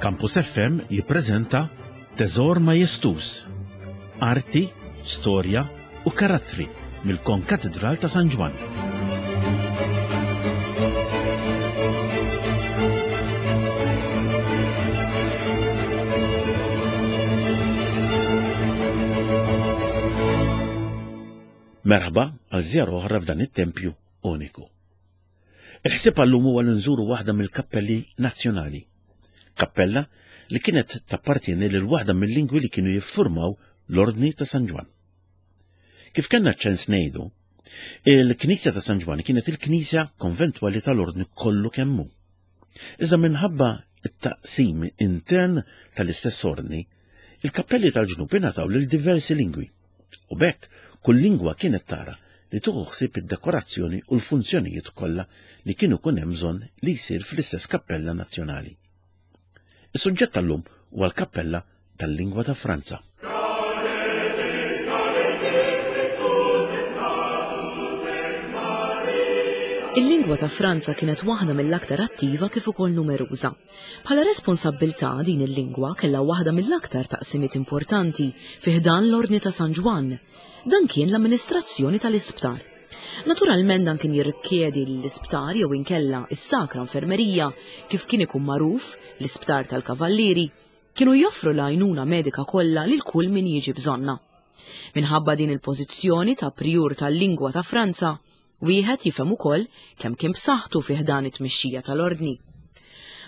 Campus FM jippreżenta Teżor Majestuż, Arti, Storja u Karattri mill-Konkatidral ta' San Ġwann. Merħba għal żjara oħra f'dan it-tempju uniku. Il-ħsieb għallum huwa li nżuru waħda mill-kappelli nazzjonali. Kappella li kienet tappartieni lil waħda mill-lingwi li kienu jiffurmaw l-Ordni ta' San Ġwann. Kif kellna ċens ngħidu, il-Knisja ta' San Ġwann kienet il-knisja konventwali tal-Ordni kollu kemm hu. Iżda minħabba t-taqsim intern tal-istess ordni, il-kappelli tal-ġnub ingħataw lil diversi lingwi. U b'hekk kull lingwa kienet tara li tieħu ħsieb id-dekorazzjoni u l-funzjonijiet kollha li kienu kun hemm bżonn li jsir fl-istess kappella nazzjonali. Is-suġġett tal-lum huwa l-kappella tal-lingwa ta' Franza. Il-lingwa ta' Franza kienet waħda mill-aktar attiva kif ukoll numeruża. Bħala responsabbiltà din il-lingwa kellha waħda mill-aktar taqsimiet importanti fi ħdan l-Ordni ta' San Ġwann. Dan kien l-amministrazzjoni tal-isptar. Naturalment dan kien jirrikjedi li l-isptar jew inkella is-Sakra Infermerija, kif kien ikun magħruf, l-isptar tal-Kavallieri, kienu joffru l-għajnuna medika kollha lil kull min jiġi bżonnha. Minħabba din il-pożizzjoni ta' prijur tal-lingwa ta' Franza, wieħed jifhem ukoll kemm kien b'saħħtu fi ħdan it-tmexxija tal-Ordni.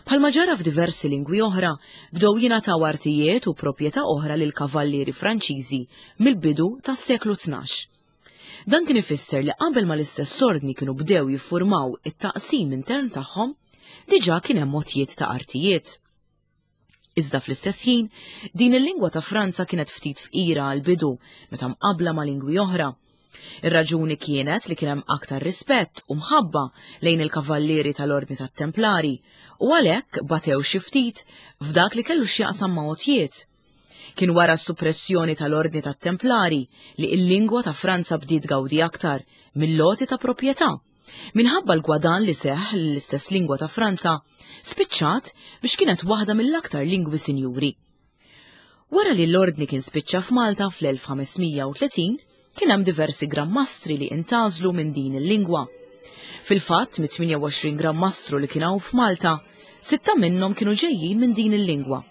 Bħalma ġara f'diversi lingwi oħra, bdew jingħataw artijiet u proprjetà oħra lil kavallieri Franċiżi mill-bidu tas-seklu 12. Dan kien ifisser li qabel ma l-istess ordni kienu bdew jiffurmaw it-taqsim intern tagħhom, diġà kien hemm għotjiet ta' artijiet. Iżda fl-istess ħin, din il-lingwa ta' Franza kienet ftit fqira għall-bidu meta mqabbla ma' lingwi oħra. Ir-raġuni kienet li kien hemm aktar rispett u mħabba lejn il-kavallieri tal-Ordni tat-Templari u għalhekk batew xi ftit f'dak li kellu x'jaqsam ma' għotjiet. Kien wara s-suppressjoni tal-Ordni tat-Templari li l-lingwa ta' Franza bdiet tgawdi aktar mill-għoti ta' proprjetà. Minħabba l-gwadann li seħħ l-istess lingwa ta' Franza, spiċċat biex kienet waħda mill-aktar lingwi sinjuri. Wara li l-ordni kien spiċċa f'Malta fl-1530, kien hemm diversi Gran Mastri li intgħażlu minn din il-lingwa. Fil-fatt, mit-28 Gran Mastru li kien hawn f'Malta, sitta minnhom kienu ġejjin minn din il-lingwa.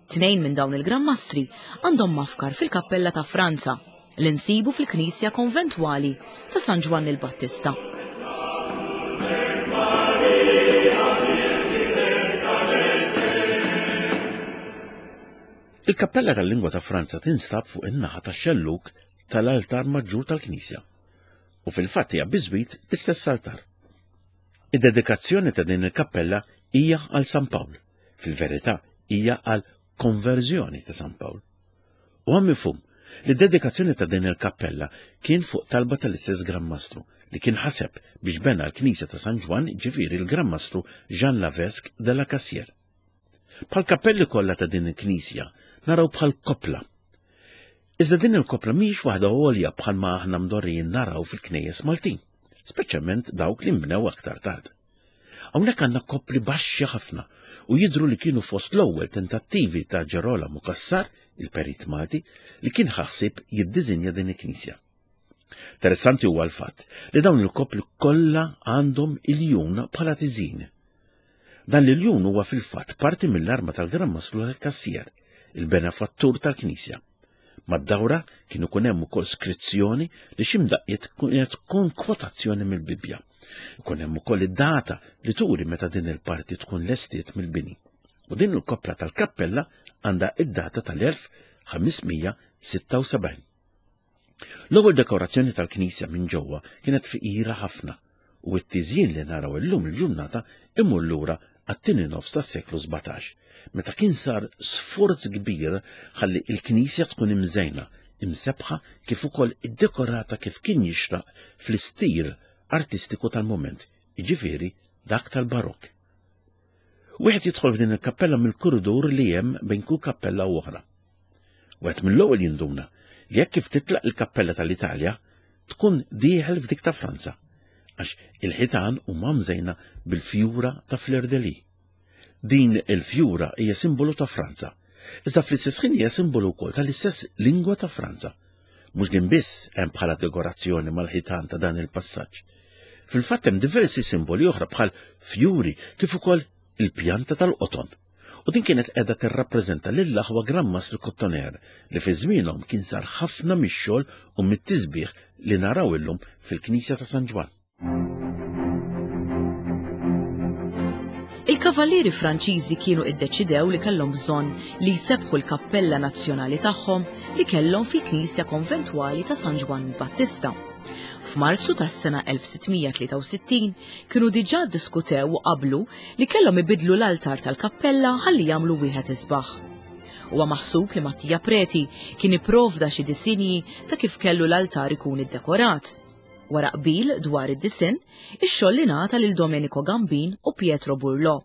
Tnejn minn dawn il-Gran Mastri għandhom mafkar fil-Kappella ta' Franza li nsibu fil-Knisja Konventwali ta' San Ġwann il-Battista. Il-Kappella tal-Lingwa ta' Franza tinstab fuq in-naħa tax-xellug tal-altar maġġur tal-knisja u fil-fatt hija biżwit l-istess altar. Id-dedikazzjoni ta' din il-kappella hija għal San Pawl. Fil-verità hija għal konverżjoni ta' San Pawl. Huwa mifhum li d-dedikazzjoni ta' din il-kappella kien fuq talba tal-istess Gran Mastru li kien ħaseb biex bena l-Knisja ta' San Ġwann ġifieri l-Gran Mastru Jean Lavesque de la Cassière. Bħal kappelli kollha ta' din il-knisja naraw bħal koppla. Iżda din il-koppla mhijiex waħda għolja bħalma aħna mdorrijin naraw fil-knejjes Maltin, speċjalment dawk li nbnew aktar tard. Hawnhekk għandna koppli baxxi ħafna u jidhru li kienu fost l-ewwel tentattivi ta' Ġerolamo Cassar, il-perit Malti, li kien ħa ħsieb jiddiżinja din il-knisja. Interessanti huwa l-fatt li dawn il-koppli kollha għandhom iljun bħala tiżin. Dan l-iljun huwa fil-fatt parti mill-arma tal-Gran Mastru tal-Kassier, il-benefattur tal-Knisja. Mad-dawra kien ikun hemm ukoll skrizzjoni li xi mdaqqiet kienet tkun kwotazzjoni mill-Bibbja. Ikun hemm ukoll id-data li turi meta din il-parti tkun lestiet mill-bini. U din il-koppla tal-kappella għandha id-data tal-1576. L-ewwel dekorazzjoni tal-knisja minn ġewwa kienet fqira ħafna u t-tiżjin li naraw illum il-ġurnata imur lura għat-tieni nofs tas-seklu 17, meta kien sar sforz kbir ħalli l-knisja tkun imżejna, imsebbħa kif ukoll iddekorata kif kien jixraq fl-istil artistiku tal-mument, jiġifieri dak tal-Barokk. Wieħed jidħol f'din il-kappella mill-kuridur li hemm bejn kull kappella u oħra. Wieħed mill-ewwel jinduna li jekk kif titlaq il-kappella tal-Italja tkun dieħel f'dik ta' Franza, għax il-ħitan huma mżejna bil-fjura ta' fleur de lis. Din il-fjura hija simbolu ta' Franza, iżda fl-istess ħin hija simbolu wkoll tal-istess lingwa ta' Franza. Mhux din biss hemm bħala dekorazzjoni mal-ħitan ta' dan il-passaġġ. Fil-fatt hemm diversi simboli oħra bħal fjuri kif ukoll il-pjanta tal-qoton. U din kienet qiegħda tirrappreżenta lill-aħwa Gran Mastru Kottoner li fi żmienhom kien sar ħafna mix-xogħol u mit-tisbiħ li naraw illum fil-Knisja ta' San Ġwann. Il-Kavallieri Franċiżi kienu iddeċidew li kellhom bżonn li jsebbħu l-kappella nazzjonali tagħhom li kellhom fil-knisja konventwali ta' San Ġwann Battista. F'Marzu tas-sena 1663 kienu diġà ddiskutew u qablu li kellhom ibiddlu l-altar tal-kappella ħalli jagħmlu wieħed isbaħ. Huwa maħsub li Mattia Preti kien ipprovda xi disinji ta' kif kellu l-altar ikun iddekorat. Wara qbil dwar id-disinn, ix-xogħol ingħata lil Domenico Gambin u Pietro Burlò.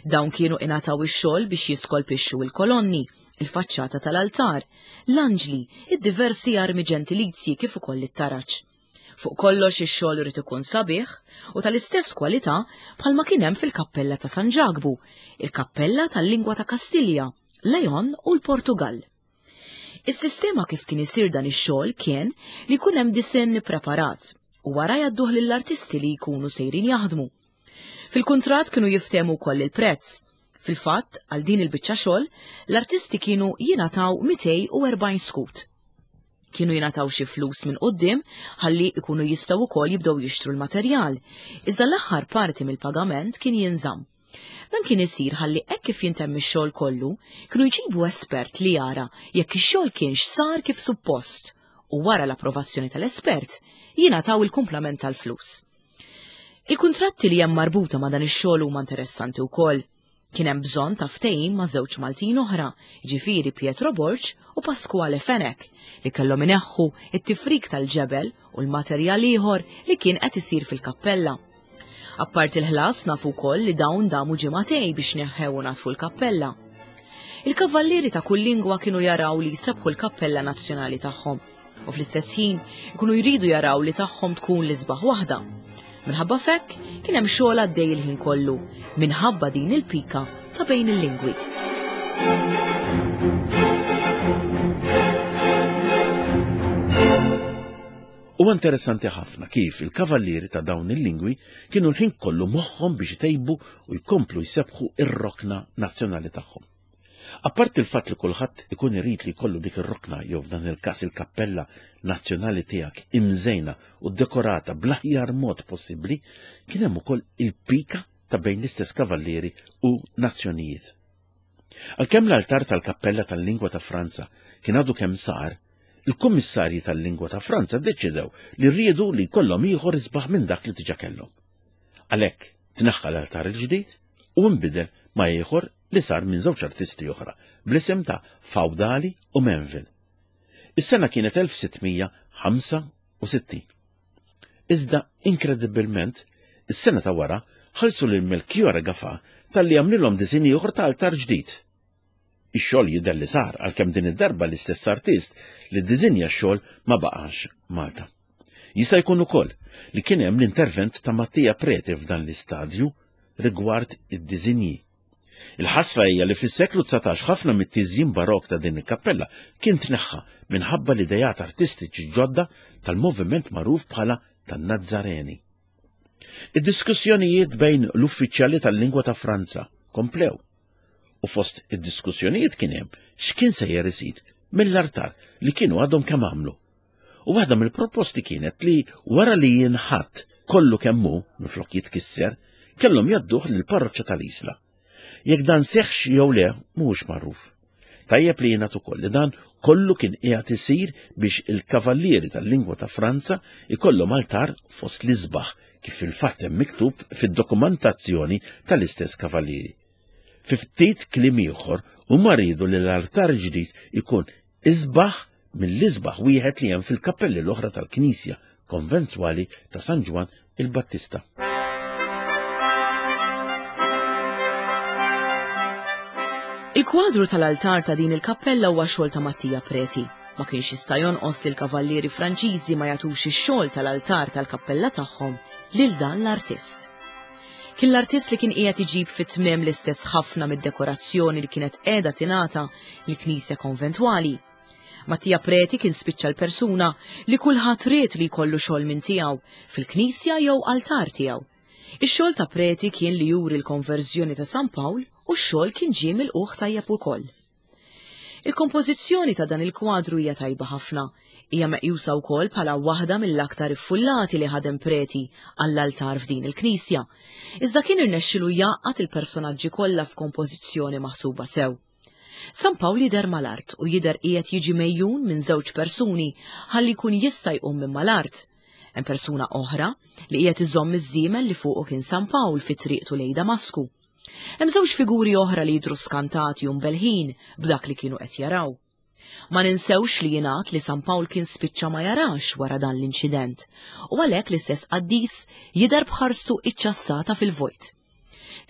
Dawn kienu ingħataw ix-xogħol biex jiskolpixxu l-kolonni, il-faċċata tal-altar, l-anġli, id-diversi armi ġentilizji kif ukoll it-taraġ. Fuq kollox ix-xogħol irid ikun sabiħ u tal-istess kwalità bħalma kien hemm fil-Kappella ta' San Ġakbu, il-Kappella tal-Lingwa ta' Kastilja, Leon u l-Portugall. Is-sistema kif kien isir dan ix-xogħol kien li jkun hemm disinn ippreparat u wara jgħadduh lill-artisti li jkunu sejrin jaħdmu. Fil-kuntratt kienu jiftehmu wkoll il-prezz. Fil-fatt, għal din il-biċċa xogħol, l-artisti kienu jingħataw 240 skut. Kienu jingħataw xi flus minn quddiem ħalli jkunu jistgħu wkoll jibdew jixtru l-materjal, iżda l-aħħar parti mill-pagament kien jinżamm. Dan kien isir ħalli hekk kif jintemm ix-xogħol kollu, kienu jġibu espert li jara jekk ix-xogħol kienx sar kif suppost u wara l-approvazzjoni tal-espert jingħataw il-kumplament tal-flus. Il-kuntratti li hemm marbuta ma' dan ix-xogħol huma interessanti wkoll. Kien hemm bżonn ta' ftehim ma' żewġ Maltin oħra, jiġifieri Pietro Borg u Pasquale Fenech, li kellhom ineħħu it-tifrik tal-ġebel u l-materjal ieħor li kien qed isir fil-kappella. Apparti l-ħlas nafu wkoll li dawn damu ġimagħtej biex neħħew u natfu l-kappella. Il-kavallieri ta' kull lingwa kienu jaraw li jsebħu l-kappella nazzjonali tagħhom u fl-istess ħin ikunu jridu jaraw li tagħhom tkun l-isbaħ waħda. Minħabba fekk kien hemm xogħol għaddej il-ħin kollu minħabba din il-pika ta' bejn il-lingwi. Huwa interessanti ħafna kif il-kavallieri ta' dawn il-lingwi kienu l-ħin kollu moħħhom biex itejbu u jkomplu jsebbħu r-rokna nazzjonali tagħhom. Apparti l-fatt li kulħadd ikun irid li jkollu dik ir-rokna jew f'dan il-każ il-kappella nazzjonali tiegħek imżejna u dekorata bl-aħjar mod possibbli, kien hemm ukoll il-pika ta' bejn l-istess kavallieri u nazzjonijiet. Għalkemm l-altar tal-kappella tal-lingwa ta' Franza kien għadu kemm sar, Il-kummissarji tal-lingwa ta' Franza ddeċidew li riedu li jkollhom ieħor isbaħ minn dak li diġà kellhom. Għalhekk tneħħa l-altar il-ġdid u nbidel ma' ieħor li sar minn żewġ artisti oħra bl-isem ta' Faudali u Menville. Is-sena kienet 1665. Iżda inkredibbilment, is-sena ta' wara ħallsu lil Melchiorre Gafà talli għamlilhom disinn ieħor ta' altar ġdid. Ix-xogħol jidher li sar għalkemm din id-darba l-istess artist li ddiżinja x-xogħol ma baqax Malta. Jista' jkun ukoll li kien hemm l-intervent ta' Mattia Preti f'dan l-istadju rigward id-diżinji. Il-ħasra hija li fis-seklu 19 ħafna mit-tiżjin barokk ta' din il-kappella kien tneħħa minħabba l-ideat artistiċi ġodda tal-moviment magħruf bħala tan-Nazzareni. Id-diskussjonijiet bejn l-uffiċjali tal-lingwa ta' Franza komplew U fost id-diskussjonijiet kien hemm x'kien sejjer isir mill-artar li kienu għadhom kemm għamlu. U waħda mill-proposti kienet li wara li jinħatt kollu kemm hu minflok jitkisser, kellhom jgħadduh lill-parroċċa tal-Isla. Jekk dan seħħx jew le mhuwiex magħruf. Tajjeb li jingħad ukoll li dan kollu kien qiegħed isir biex il-kavallieri tal-lingwa ta' Franza ikollhom altar fost l-isbaħ kif fil-fatt hemm miktub fid-dokumentazzjoni tal-istess kavallieri. Fi ftit kliem ieħor, huma riedu li l-altar ġdid ikun isbaħ mill-isbaħ wieħed li hemm fil-kappelli l-oħra tal-Knisja Konventwali ta' San Ġwann il-Battista. Il-kwadru tal-altar ta' din il-kappella huwa xogħol ta' Mattia Preti. Ma kienx jista' jonqos li l-kavallieri Franċiżi ma jagħtux ix-xogħol tal-altar tal-kappella tagħhom lil dan l-artist. Kien l-artist li kien qiegħed iġib fit-tmiem l-istess ħafna mid-dekorazzjoni li kienet qiegħda tingħata lill-knisja konventwali. Mattia Preti kien spiċċa l-persuna li kulħadd ried li jkollu xogħol minn tiegħu fil-knisja jew altar tiegħu. Ix-xogħol ta' Preti kien li juri l-konverżjoni ta' San Pawl u x-xogħol kien ġie milqugħ tajjeb ukoll. Il-kompożizzjoni ta' dan il-kwadru hija tajba ħafna. Hija meqjusa wkoll bħala waħda mill-aktar iffullati li ħadem Preti għall-altar f'din il-knisja. Iżda kien irnexxilu jgħaqqad il-personaġġi kollha f'kompożizzjoni maħsuba sew. San Pawl jidher mal-art u jidher qiegħed jiġi mgħejjun minn żewġ persuni ħalli jkun jista' jqum minn mal-art. Hemm persuna oħra li qiegħed iżomm iż-żiemel li fuqu kien San Pawl fi triqtu lejn Damasku. Hemm żewġ figuri oħra li jidhru skantati u mbelħin b'dak li kienu qed jaraw. Ma ninsewx li jingħad li San Pawl kien spiċċa ma jarax wara dan l-inċident u għalhekk l-istess qaddis jidher b'ħarstu iċċassata fil-vojt.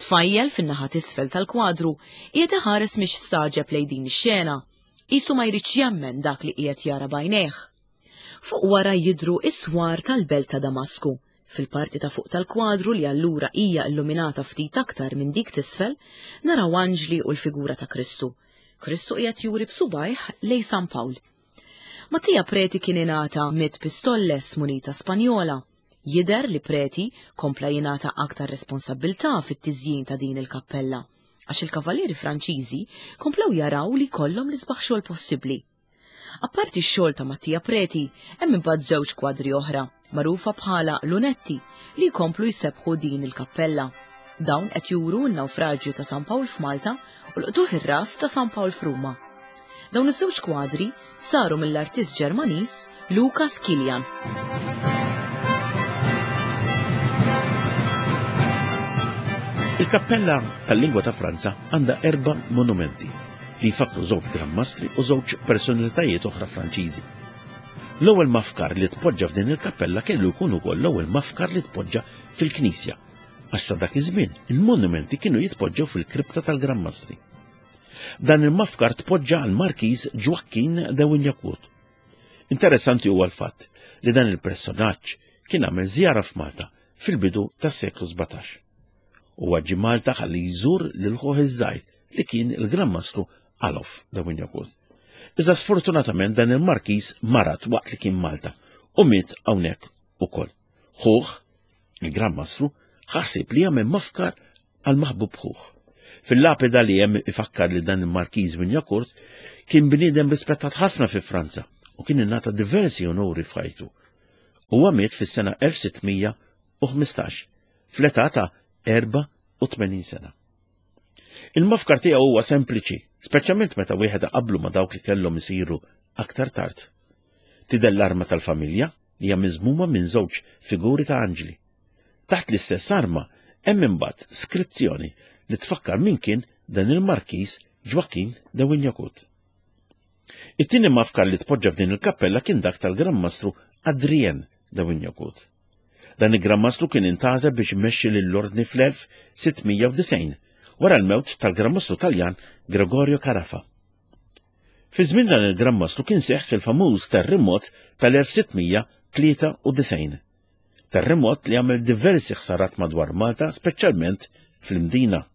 Tfajjel fin-naħa t'isfel tal-kwadru qiegħed iħares mhix staġeb lejn din ix-xena, qisu ma jridx jemmen dak li qiegħed jara b'għajnejh. Fuq wara jidhru s-swar tal-belt ta' Damasku. Fil-parti ta' fuq tal-kwadru li allura hija illuminata ftit aktar minn dik t'isfel, naraw anġli u l-figura ta' Kristu. Kristu qiegħed juri b'subgħajh lejn San Pawl. Mattia Preti kien ingħata mitt pistolles munita Spanjola. Jidher li Preti kompla jingħata aktar responsabbiltà fit-tiżjin ta' din il-kappella, għax il-kavallieri Franċiżi komplew jaraw li jkollhom l-isbaħ xogħol possibbli. Apparti x-xogħol ta' Mattia Preti, hemm imbagħad żewġ kwadri oħra, magħrufa bħala lunetti, li jkomplu jsebbħu din il-kappella. Dawn qed juru n-nawfraġju ta' San Pawl f'Malta u l-qtugħ ir-ras ta' San Pawl f'Ruma. Dawn iż-żewġ kwadri saru mill-artist Ġermaniż Lukas Kilian. Il-kappella tal-lingwa ta' Franza għandha erba' monumenti li jfakkru żewġ Gran Mastri u żewġ personalitajiet oħra Franċiżi. L-ewwel mafkar li tpoġġa f'din il-kappella kellu jkun ukoll l-ewwel mafkar li tpoġġa fil-knisja, għax sa dak iż-żmien il-monumenti kienu jitpoġġew fil-kripta tal-Gran Mastri. Dan il-mafkar tpoġġa għal Markiż Ġwakkin de Wignacourt. Interessanti huwa l-fatt li dan il-personaġġ kien għamel żjara f'Malta fil-bidu tas-seklu 17. Huwa ġie Malta ħalli jżur lil ħuh iż-żgħir li kien il-Gran Mastru Alof de Wignacourt. Iżda sfortunatament dan il-markiż marad waqt li kien Malta u miet hawnhekk ukoll. Ħuh, il-Gran Mastru, ħasib li jagħmel mafkar għal maħbub ħuh. Fil-lapida li hemm ifakkar li dan il-Markiż Wignacourt kien bniedem rispettat ħafna fi Franza u kien ingħata diversi onuri f'ħajtu. Huwa miet fis-sena 1615 fl-età ta' 84 sena. Il-mafkar tiegħu huwa sempliċi, speċjalment meta wieħed qablu ma' dawk li kellhom isiru aktar tard. Tidher l-arma tal-familja li hija miżmuma minn żewġ figuri ta' anġli. Taħt l-istess arma hemm imbagħad skrizzjoni li tfakkar min kien dan il-Markiż Ġwakkin de Wignacourt. It-tieni mafkar li tpoġġa f'din il-kappella kien dak tal-Gran Mastru Adrien de Wignacourt. Dan il-Gran Mastru kien intgħażel biex imexxi lill-Ordni fl-1690 wara l-mewt tal-Gran Mastru Taljan Gregorio Carafa. Fi żmien dan il-Gran Mastru kien seħħ il-famuż terremot tal-1693. Terremot li għamel diversi ħsarat madwar Malta, speċjalment fl-Imdina.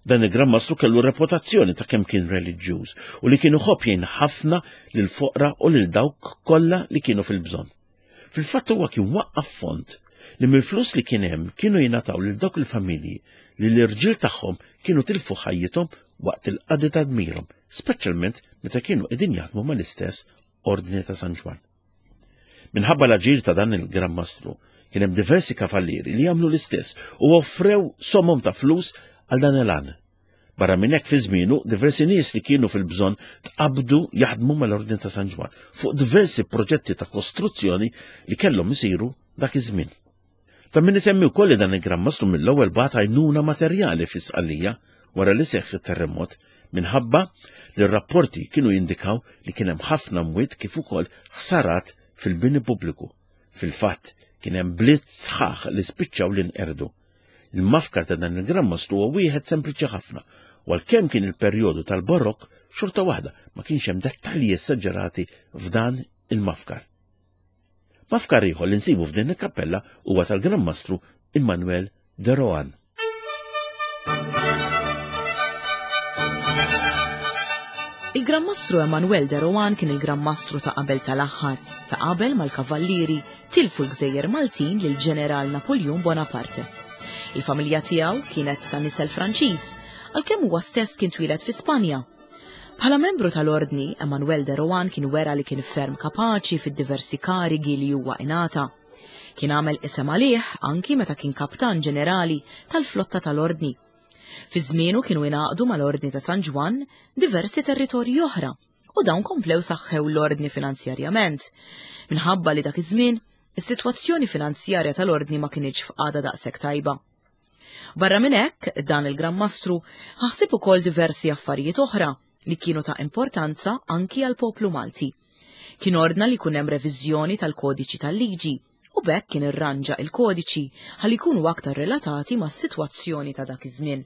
Dan il-Gran Mastru kellu reputazzjoni ta' kemm kien reliġjuż u li kien iħobb jgħin ħafna lil foqra u lil dawk kollha li kienu fil-bżonn. Fil-fatt huwa kien waqqaf fond li mill-flus li kien hemm kienu jingħataw lil dawk il-familji li l-irġiel tagħhom kienu tilfu ħajjithom waqt il-qadi ta' dmirhom, speċjalment meta kienu qegħdin jaħdmu mal-istess Ordni ta' San Ġwann. Minħabba l-aġir ta' dan il-Gran Mastru, kien hemm diversi kavallieri li għamlu l-istess u offrew somom ta' flus għal dan il-għan. Barra minn hekk fi żmienu diversi nies li kienu fil-bżonn tqabdu jaħdmu mal-Ordni ta' San Ġwann fuq diversi proġetti ta' kostruzzjoni li kellhom isiru dak iż-żmien. Ta' min isemmi wkoll li dan il-Gran Mastru mill-ewwel bagħat għajnuna materjali fi Sqallija wara li seħħ it-terremot minħabba li r-rapporti kienu jindikaw li kien hemm ħafna mwiet kif ukoll ħsarat fil-bini pubbliku. Fil-fatt, kien hemm bliet sħaħ li spiċċaw li nqerdu. Il-mafkar ta' dan il-Gran Mastru huwa wieħed sempliċi ħafna, u għalkemm kien il-perjodu tal-Barokk, xorta waħda ma kienx hemm dettalji esaġerati f'dan il-mafkar. Mafkar ieħor li nsibu f'din il-kappella huwa tal-Gran Mastru Immanuel de Rohan. Il-Gran Mastru Emanuel de Rohan kien il-Gran Mastru ta' qabel tal-aħħar, ta' qabel mal-Kavallieri tilfu l-Gżejjer Maltin lil Ġeneral Napoljun Bonaparte. Il-familja tiegħu kienet ta' nisel Franċiż, għalkemm huwa stess kien twieled fi Spanja. Bħala membru tal-Ordni, Emanuel de Rohan kien wera li kien ferm kapaċi fid-diversi karigi li huwa ingħata. Kien għamel isem għalih anki meta kien kaptan ġenerali tal-flotta tal-Ordni. Fi żmienu kienu ingħaqdu mal-Ordni ta' San Ġwann diversi territorji oħra u dawn komplew saħħew l-Ordni finanzjarjament. Minħabba li dak iż-żmien is-sitwazzjoni finanzjarja tal-Ordni ma kinitx f'qagħda daqshekk tajba. Barra minn hekk, dan il-Gran Mastru ħasib ukoll diversi affarijiet oħra li kienu ta' importanza anki għall-poplu Malti. Kien ordna li jkun hemm reviżjoni tal-kodiċi tal-liġi u b'hekk kien irranġa il-kodiċi ħalli jkunu aktar relatati mas-sitwazzjoni ta' dak iż-żmien.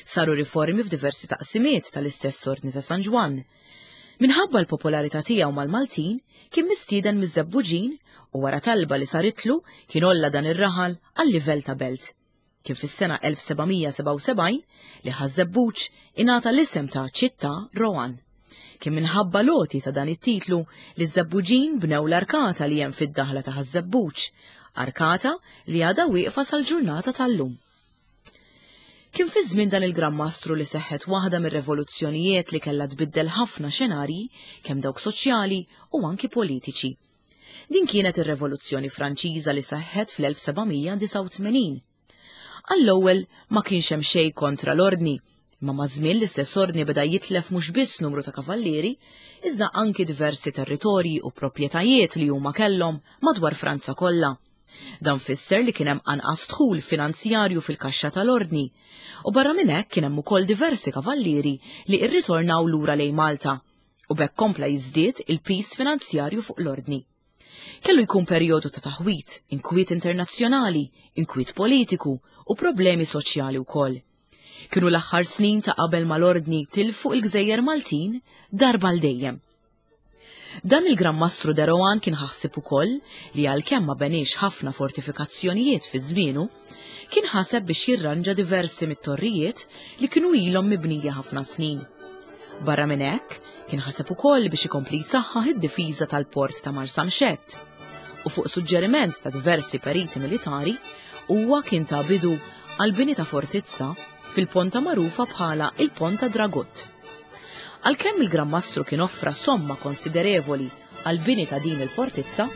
Saru riformi f'diversi taqsimiet tal-istess Ordni ta' San Ġwann. Minħabba l-popolarità tiegħu mal-Maltin, kien mistieden miż-Żebbuġin u wara talba li saritlu kien għolla dan ir-raħal għal livell ta' belt. Kien fis-sena 1777 li Ħaż-Żebbuġ ingħata l-isem ta' Città Rohan. Kien minħabba l-għoti ta' dan it-titlu li ż-Żebbuġin bnew l-arkata li hemm fid-daħla ta' Ħaż-Żebbuġ, arkata li għadha wieqfa sal-ġurnata tal-lum. Kien fi żmien dan il-Gran Mastru li seħħet waħda mir-revoluzzjonijiet li kellha tbiddel ħafna xenarji, kemm dawk soċjali u anki politiċi. Din kienet ir-Revoluzzjoni Franċiża li seħħet fl-1789. Għall-ewwel ma kienx hemm xejn kontra l-ordni, imma maż-żmien l-istess ordni beda jitlef mhux biss numru ta' kavallieri, iżda anki diversi territorji u proprjetajiet li huma kellhom madwar Franza kollha. Dan fisser li kien hemm anqas dħul finanzjarju fil-kaxxa tal-ordni, u barra minn hekk kien hemm ukoll diversi kavallieri li rritornaw lura lejn Malta u b'hekk kompla jiżdied il-piż finanzjarju fuq l-Ordni. Kellu jkun perjodu ta' taħwid, inkwiet internazzjonali, inkwiet politiku u problemi soċjali wkoll. Kienu l-aħħar snin ta' qabel ma l-Ordni tilfu il-gżejjer Maltin darba għal dejjem. Dan il-Gran Mastru de Rohan kien ħassib ukoll li għalkemm ma beniex ħafna fortifikazzjonijiet fi żmienu, kien ħaseb biex jirranġa diversi mit-torrijiet li kienu ilhom mibnija ħafna snin. Barra minn hekk, kien ħaseb ukoll biex ikompli jsaħħaħ id-difiża tal-port ta' Marsamxett. U fuq suġġeriment ta' diversi periti militari, huwa kien ta bidu għal bini ta' fortizza fil-ponta magħrufa bħala il-Ponta Dragut. Għalkemm il-Gran Mastru kien offra somma konsiderevoli għall-bini ta' din il-fortizza,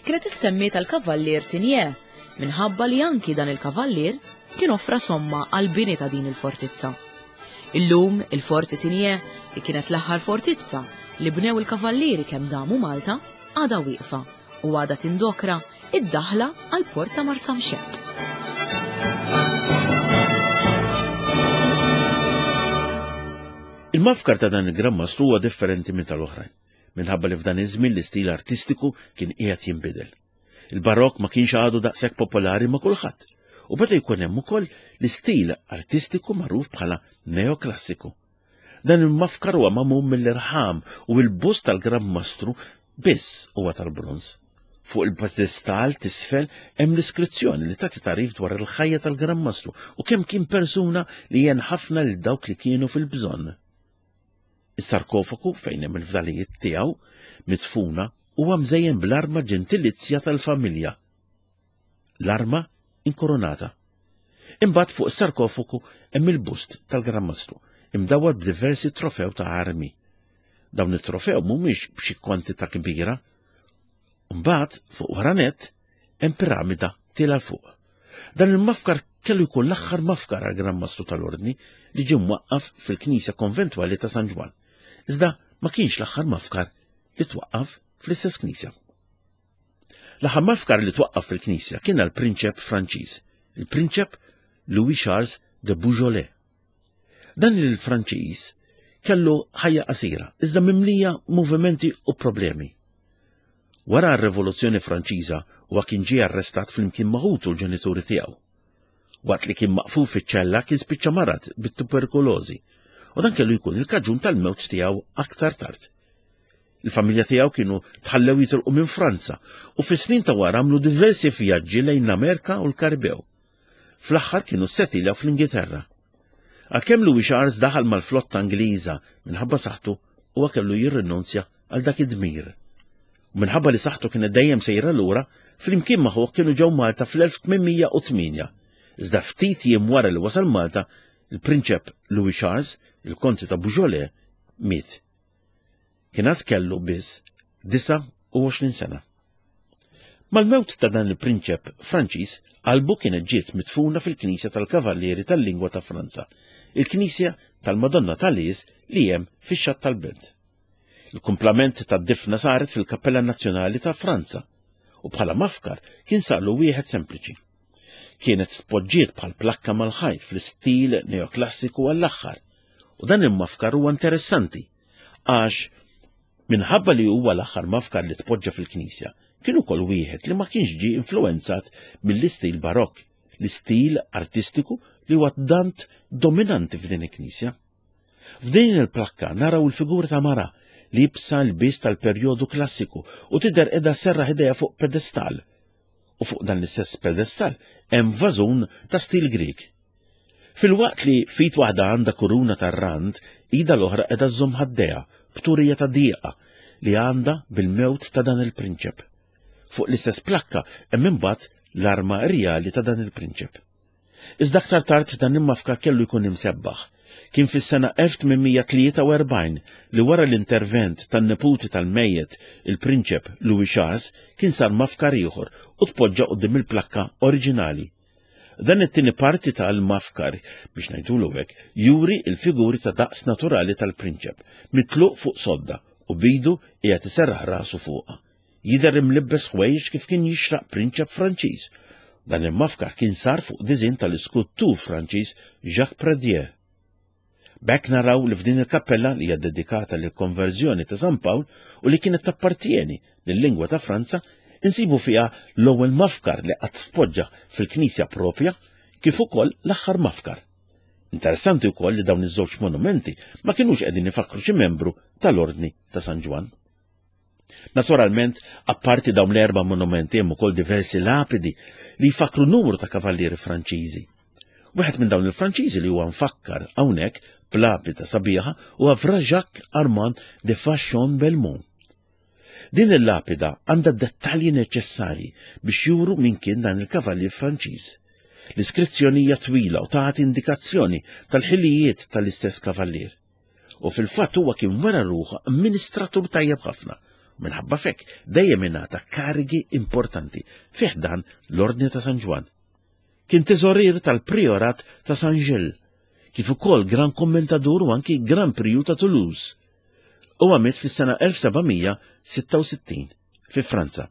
kienet issemmiet għall-Kavallier Tinier minħabba li anki dan il-kavallier kien offra somma għall-bini ta' din il-fortizza. Illum il-Forti Tinier, li kienet l-aħħar fortizza li bnew il-kavallieri kemm damu Malta, għadha wieqfa u għadha tindokra id-daħla għall-port ta' Marsamxett. Il-mafkar ta' dan il-Gran Mastru huwa differenti minn tal-oħrajn, minħabba li f'dan iż-żmien l-istil artistiku kien qiegħed jinbidel. Il-Barokk ma kienx għadu daqshekk popolari ma' kulħadd, u beda jkun hemm ukoll l-istil artistiku magħruf bħala neoklassiku. Dan il-mafkar huwa magħmul mill-irħam u l-bust tal-Gran Mastru biss huwa tal-bronż. Fuq il-pedestal t'isfel hemm l-iskrizzjoni li tagħti tagħrif dwar il-ħajja tal-Gran Mastru u kemm kien persuna li għen ħafna lil dawk li kienu fil-bżonn. Is-sarkofagu fejn hemm il-fdalijiet tiegħu midfuna huwa mżejjen bl-arma ġentilizja tal-familja, l-arma inkoronata. Imbagħad fuq is-sarkofagu hemm il-bust tal-Gran Mastru, imdawwar b'diversi trofew ta' armi. Dawn it-trofew mhumiex b'xi kwantità kbira. Mbagħad fuq wara nett hemm piramida tiela' fuq. Dan il-mafkar kellu jkun l-aħħar mafkar għal Gran Mastru tal-Ordni li ġie mwaqqaf fil-Knisja Konventwali ta' San Ġwann. Iżda ma kienx l-aħħar mafkar li twaqqaf fl-istess knisja. L-aħħar mafkar li twaqqaf fil-knisja kien għal prinċep Franċiż, il-prinċep Louis Charles de Beaujolais. Dan il-Franċiż kellu ħajja qasira, iżda mimlija movimenti u problemi. Wara r-Rivoluzzjoni Franċiża huwa kien ġie arrestat flimkien ma' ħutu l-ġenituri tiegħu. Waqt li kien maqful fiċ-ċella kien spiċċa marad bit-tuberkulożi u dan kellu jkun il-kaġun tal-mewt tiegħu aktar tard. Il-familja tiegħu kienu tħallew jitilqu minn Franza u fis-snin ta' wara għamlu diversi vjaġġi lejn l-Amerika u l-Karibew. fl-aħħar kienu ssetiljaw fl-Ingilterra. Għalkemm Louis Charles daħal mal-flotta Ingliża minħabba saħħtu huwa kellu jirrinunzja għal dak id-dmir. U minħabba li saħħtu kienet dejjem sejra lura, flimkien ma' ħuh kienu ġew Malta fl-1808. Iżda ftit jiem wara li wasal Malta, il-Prinċep Louis Charles, il-Konti ta' Beaujolais, miet. Kien għad kellu biss 29 sena. Mal-mewt ta' dan il-prinċep Franċiż, qalbu kienet ġiet midfuna fil-Knisja tal-Kavallieri tal-Lingwa ta' Franza, il-Knisja tal-Madonna ta' Lies li hemm fix-Xatt tal-Belt. Il-kumplament tad-difna saret fil-Kappella Nazzjonali ta' Franza u bħala mafkar kien sarlu wieħed sempliċi. Kienet tpoġġiet bħal plakka mal-ħajt fl-istil neoklassiku għall-aħħar u dan il-mafkar huwa interessanti għax minħabba li huwa l-aħħar mafkar li tpoġġa fil-knisja, kien ukoll wieħed li ma kienx ġie influwenzat mill-istil barokk, l-istil artistiku li huwa tant dominanti f'din il-knisja. F'din il-plakka naraw il-figura ta' mara li jibsa l-biss tal-perjodu klassiku u tidher qiegħda serraħ idejha fuq pedestal. U fuq dan l-istess pedestal hemm vażun ta' stil Grieg. Filwaqt li f'id waħda għandha kuruna tar-rand, idha l-oħra qiegħda żżomm ħaddejha b'turija ta' dieqa li għandha bil-mewt ta' dan il-prinċep. Fuq l-istess plakka hemm imbagħad l-arma rjali ta' dan il-prinċep. Iżda aktar tard dan il-mafkar kellu jkun imsebbaħ. Kien fis-sena 1843 li wara l-intervent tan-neputi tal-mejjet il-prinċep Louis Charles kien sar mafkar ieħor u tpoġġa quddiem il-plakka oriġinali. Dan it-tieni parti tal-mafkar, biex ngħidulu hekk, juri l-figuri ta' daqs naturali tal-prinċep, mitluq fuq sodda u b'idu qiegħed iserraħ rasu fuqha. Jidher imlibbes ħwejjeġ kif kien jixraq prinċep Franċiż. Dan il-mafkar kien sar fuq diżinn tal-iskultur Franċiż Jacques Pradier. B'hekk naraw li f'din il-kappella li hija dedikata lill-konverżjoni ta' San Pawl u li kienet tappartieni lil-lingwa ta' Franza, insibu fiha l-ewwel mafkar li qatt tpoġġa fil-knisja propja kif ukoll l-aħħar mafkar. Interessanti wkoll li dawn iż-żewġ monumenti ma kinux qegħdin ifakkru xi membru tal-Ordni ta' San Ġwann. Naturalment, apparti dawn l-erba' monumenti hemm ukoll diversi lapidi li jfakkru numru ta' kavallieri Franċiżi. Wieħed minn dawn il-Franċiżi li huwa mfakkar hawnhekk b'lapida sabiħa huwa Fra Jacques Armand de Fachon Belmont. Din il-lapida għandha dettalji neċessarji biex juru min kien dan il-kavallier Franċiż. L-iskrizzjoni hija twila u tagħti indikazzjoni tal-ħilijiet tal-istess kavallier. U fil-fatt huwa kien wera ruħu amministratur tajjeb ħafna. Minħabba fekk dejjem ingħata karigi importanti fih dan l-Ordni ta' San Ġwann. Kien teżorier tal-Priorat ta' San Gilles, kif ukoll Gran Kommentadur u anki Gran Priju ta' Toulouse. Huwa miet fis-sena 1766 fi Franza.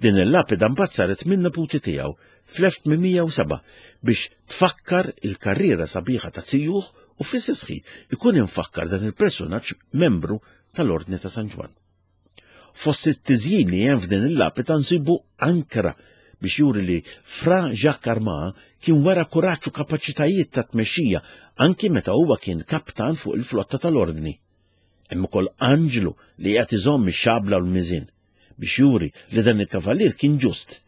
Din il-lapida mbagħad saret minn neputi tiegħu fl-1807 biex tfakkar il-karriera sabiħa ta' zijuh u fl-istess ħin ikun imfakkar dan il-personaġġ membru tal-Ordni ta' San Ġwann. Fost it-tiżjin li hemm f'din il-lapida nsibu ankra biex juri li Fra Jacques Armand kien wera kuraġġ u kapaċitajiet ta' tmexxija anki meta huwa kien kaptan fuq il-flotta tal-Ordni. Hemm ukoll anġlu li qiegħed iżomm ix-xabla u l-miżien biex juri li dan il-kavallier kien ġust.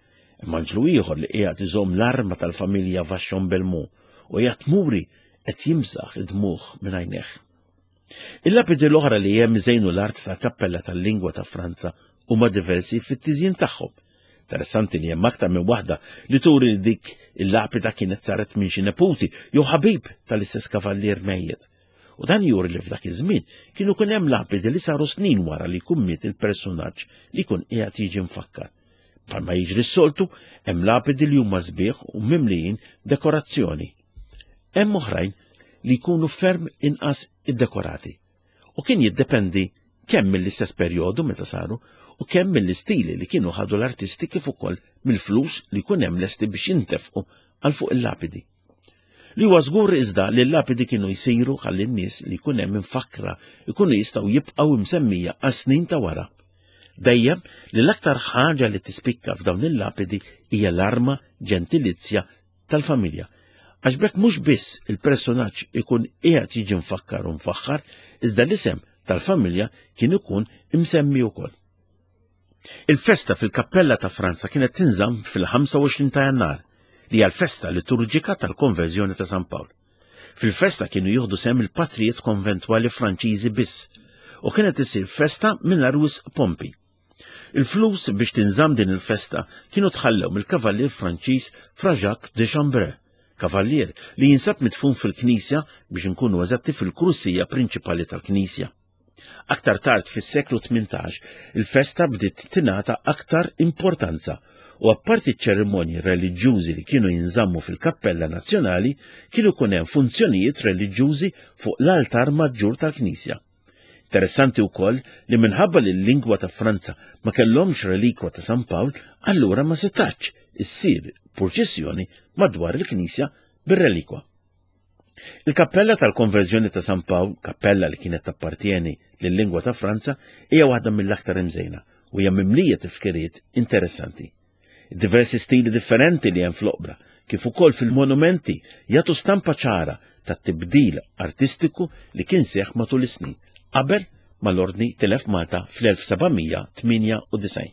Hemm anġlu ieħor li qiegħed iżomm l-arma tal-familja Vachon Belmont u qiegħed muri qed jimsaħ id-dmugħ minn għajnejh. Il-lapidi l-oħra li hemm iżejnu l-art tal-kappella tal-lingwa ta' Franza huma diversi fit-tiżjin tagħhom. Interessanti li hemm aktar minn waħda li turi li dik il-lapida kienet saret minn xi neputi jew ħabib tal-istess kavallier mejjet. U dan juri li f'dak iż-żmien kienu kien hemm lapidi li saru snin wara li jkun miet il-personaġġ li jkun qiegħed jiġi mfakkar. Bħalma jiġri s-soltu, hemm lapidi li huma sbieħ u mimlijin dekorazzjoni. Hemm oħrajn li jkunu ferm inqas iddekorati. U kien jiddependi kemm mill-istess perjodu meta saru u kemm mill-istili li kienu ħadu l-artisti kif ukoll mill-flus li jkun hemm lesti biex jintefqu għal fuq il-lapidi. Li huwa żgur iżda li l-lapidi kienu jsiru ħalli n-nies li jkun hemm imfakkra jkunu jistgħu jibqgħu msemmija għas-snin ta' wara. Dejjem li l-aktar ħaġa li tispikka f'dawn il-lapidi hija l-arma ġentilizja tal-familja. Għax b'hekk mhux biss il-personaġġ ikun qiegħed jiġi mfakkar u mfaħħar, iżda l-isem tal-familja kien ikun imsemmi wkoll. Il-festa fil-kappella ta' Franza kienet tinżamm fil-25 ta' Jannar. li hija l-festa liturġika tal-konverżjoni ta' San Pawl. Fil-festa kienu jieħdu sehem il-patrijiet konventwali Franċiżi biss u kienet isir festa mingħajr wisq pompi. Il-flus biex tinżamm din il-festa kienu tħallew mill-kavallier Franċiż Fra Jacques de Chambray, kavallier li jinsab midfun fil-knisja biex inkunu eżatti fil-krusija prinċipali tal-knisja. Aktar tard fis-seklu 18, il-festa bdiet tingħata aktar importanza u apparti ċ-ċerimonji reliġjużi li kienu jinżammu fil-Kappella Nazzjonali kienu jkun hemm funzjonijiet reliġjużi fuq l-altar maġġur tal-knisja. Interessanti wkoll li minħabba li l-lingwa ta' Franza ma kellhomx relikwa ta' San Pawl, allura ma setax issir purċissjoni madwar il-knisja bir-relikwa. Il-kappella tal-Konverżjoni ta' San Pawl, kappella li kienet tappartjeni lil-lingwa ta' Franza, hija waħda mill-aktar imżejna u hija mimlija tifkiriet interessanti. Diversi stili differenti li hemm fl-oqbra, kif ukoll fil-monumenti, jagħtu stampa ċara tat-tibdil artistiku li kien seħħ matul is-snin qabel ma l-Ordni tilef Malta fl-1798.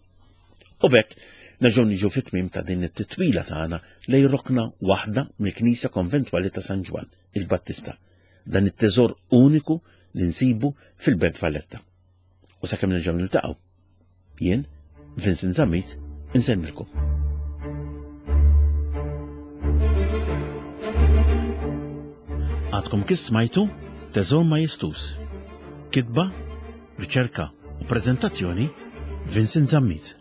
U b'hekk nerġgħu niġu fit-tmiem ta' din it-titwila tagħna lejn rokna waħda mill-Knisja Konventwali ta' San Ġwann il-Battista, dan it-teżor uniku li nsibu fil-Belt Valletta. U sakemm nerġgħu niltaqgħu, jien, Vincent Zammit, insellmilkom. Għadkom kif smajtu Teżor Majestus. Kitba, riċerka u prezentazzjoni Vincent Zammit.